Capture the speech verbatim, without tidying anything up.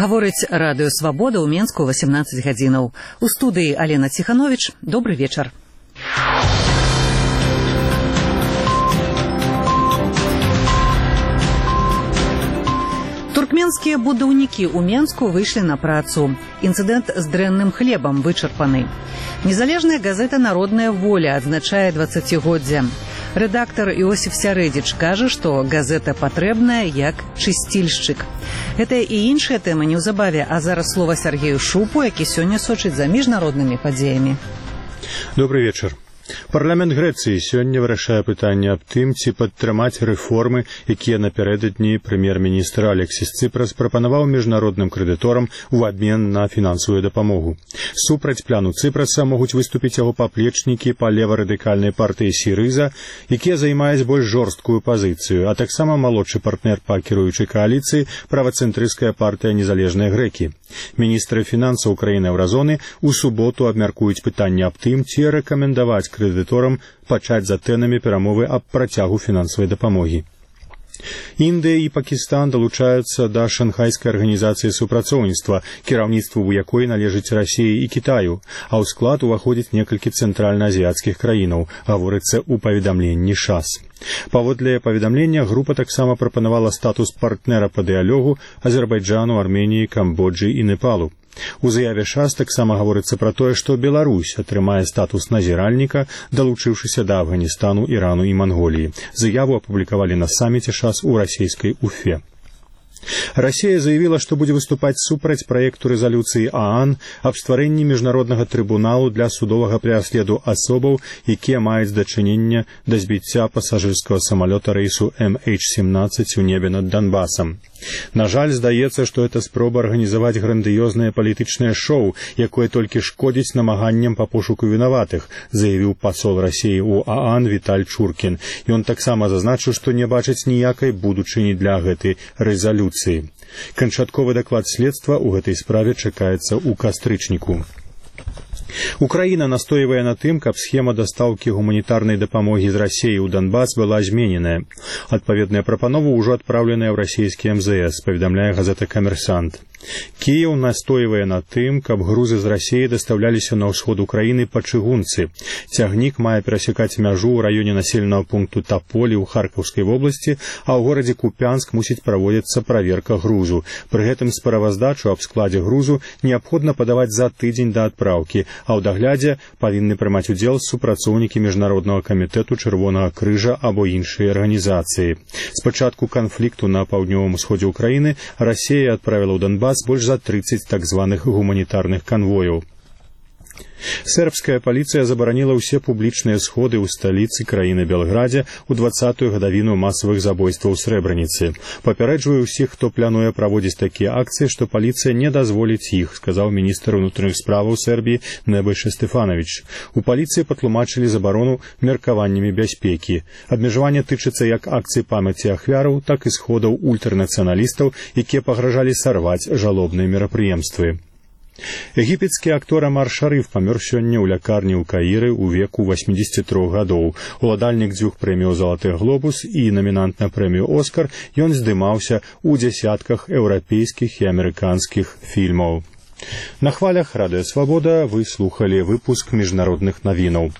Гаворыць радыё «Свабода» ў Менску васемнаццаць гадзінаў. У студыі Алена Ціханович. Добры вечар. Туркменскія будаўнікі ў Менску выйшлі на працу. Інцыдэнт з дрэнным хлебам вычарпаны. Незалежная газета «Народная воля» адзначае дваццацігоддзе. Рэдактар Іосиф Сярэдзіч кажа, што газета патрэбная як чысцільшчык. Гэта і іншыя тэмы неўзабаве, а зараз слова Сергею Шупу, які сёння сочыць за міжнароднымі падзеямі. Добрый вечар. Парламент Грэцыі сёння вырашае пытанне аб тым, ці падтрымаць рэформы, якія напярэдадні прэм'ер-міністр Алексіс Ципрас прапанаваў міжнародным крэдыторам у абмен на фінансавую дапамогу. Супраць плану Ципраса могуць выступіць яго паплечнікі па лева-радыкальнай партыі Сірыза, якія займаюць больш жорсткую пазіцыю, а таксама малодшы партнер па кіруючай кааліцыі правацэнтрысцкая партыя «Незалежныя грэкі». Міністры фінансаў краін-еўразоны ў суботу абмяркуюць пытанне аб тым, ці рэкамендаваць крэдыторам пачаць за тэнамі перамовы аб працягу фінансавай дапамогі. Індыя і Пакістан далучаюцца да шанхайскай арганізацыі супрацоўніцтва, кіраўніцтву ў якой належыць Расіі і Кітаю, а ў склад уваходзіць некалькі цэнтральна-азіяцкіх краінаў, гаворыцца ў паведамленні ШАС. Паводле паведамлення, група таксама прапанавала статус партнера па дыялогу Азербайджану, Арменіі, Камбоджы і Непалу. У заяве ШАС таксама гаворыцца пра тое, што Беларусь атрымае статус назіральніка, далучыўшыся да Афганістану, Ірану і Манголіі. Заяву апублікавалі на саміце ШАС у расійскай Уфе. Расія заявіла, што будзе выступаць супраць праекту рэзалюцыі ААН аб стварэнні міжнароднага трыбуналу для судовага пераследу асобаў, якія маюць дачыненне да збіцця пасажырскага самалёта рэйсу эм эйч сямнаццаць у небе над Донбасам. На жаль, здаецца, што гэта спроба арганізаваць грандыёзнае палітычнае шоу, якое толькі шкодзіць намаганням па пошуку вінаватых, заявіў пасол Расіі ў ААН Віталь Чуркін. Ён таксама зазначыў, што не бачыць ніякай будучыні для гэтай рэзалюцыі. Канчатковы даклад следства ў гэтай справе чакаецца ў кастрычніку. Украіна настойвае на тым, каб схема дастаўкі гуманітарнай дапамогі з Расіі ў Донбас была змененая. Адпаведная прапанова ўжо адпраўленая ў расійскі эм зэ эс, паведамляе газета «Камерсант». Кіеў настойвае на тым, каб грузы з Расіі дастаўляліся на ўсход Украіны па чыгунцы. Цягнік мае перасякаць мяжу ў раёне населенага пункту Таполі ў Харкаўскай вобласці, а ў горадзе Купянск мусіць праводзіцца праверка грузу. Пры гэтым справаздачу аб складзе грузу неабходна падаваць за тыдзень да адпраўкі, а ў даглядзе павінны прымаць удзел супрацоўнікі міжнароднага камітэту Чырвонага крыжа або іншыя арганізацыі. З пачатку канфлікту на паўднёвым усходзе Украіны Расія адправіла ў Донбас больш за трыццаць так званых гуманітарных канвояў. Сербская паліцыя забараніла ўсе публічныя сходы ў сталіцы краіны Белградзе ў дваццатую гадавіну масавых забойстваў у Срэбраніцы. Папярэджвае ўсіх, хто плануе праводзіць такія акцыі, што паліцыя не дазволіць іх, сказаў міністр унутраных справаў Сербіі Небойша Стефанович. У паліцыі патлумачылі забарону меркаваннямі бяспекі. Абмежаванне тычыцца як акцый памяці ахвяраў, так і сходаў ультранацыяналістаў, якія пагражалі сарваць жалобныя мерапрыемствы. Егіпецкі актор Амар Шарыф памёр сёння ў лякарні ў Каіры ў веку васьмідзесяці трох гадоў. Уладальнік дзвюх прэміяў «Залаты глобус» і намінант на прэмію «Оскар», ён здымаўся ў дзясятках еўрапейскіх і амерыканскіх фільмаў. На хвалях радыё «Свабода» вы слухалі выпуск міжнародных навінаў.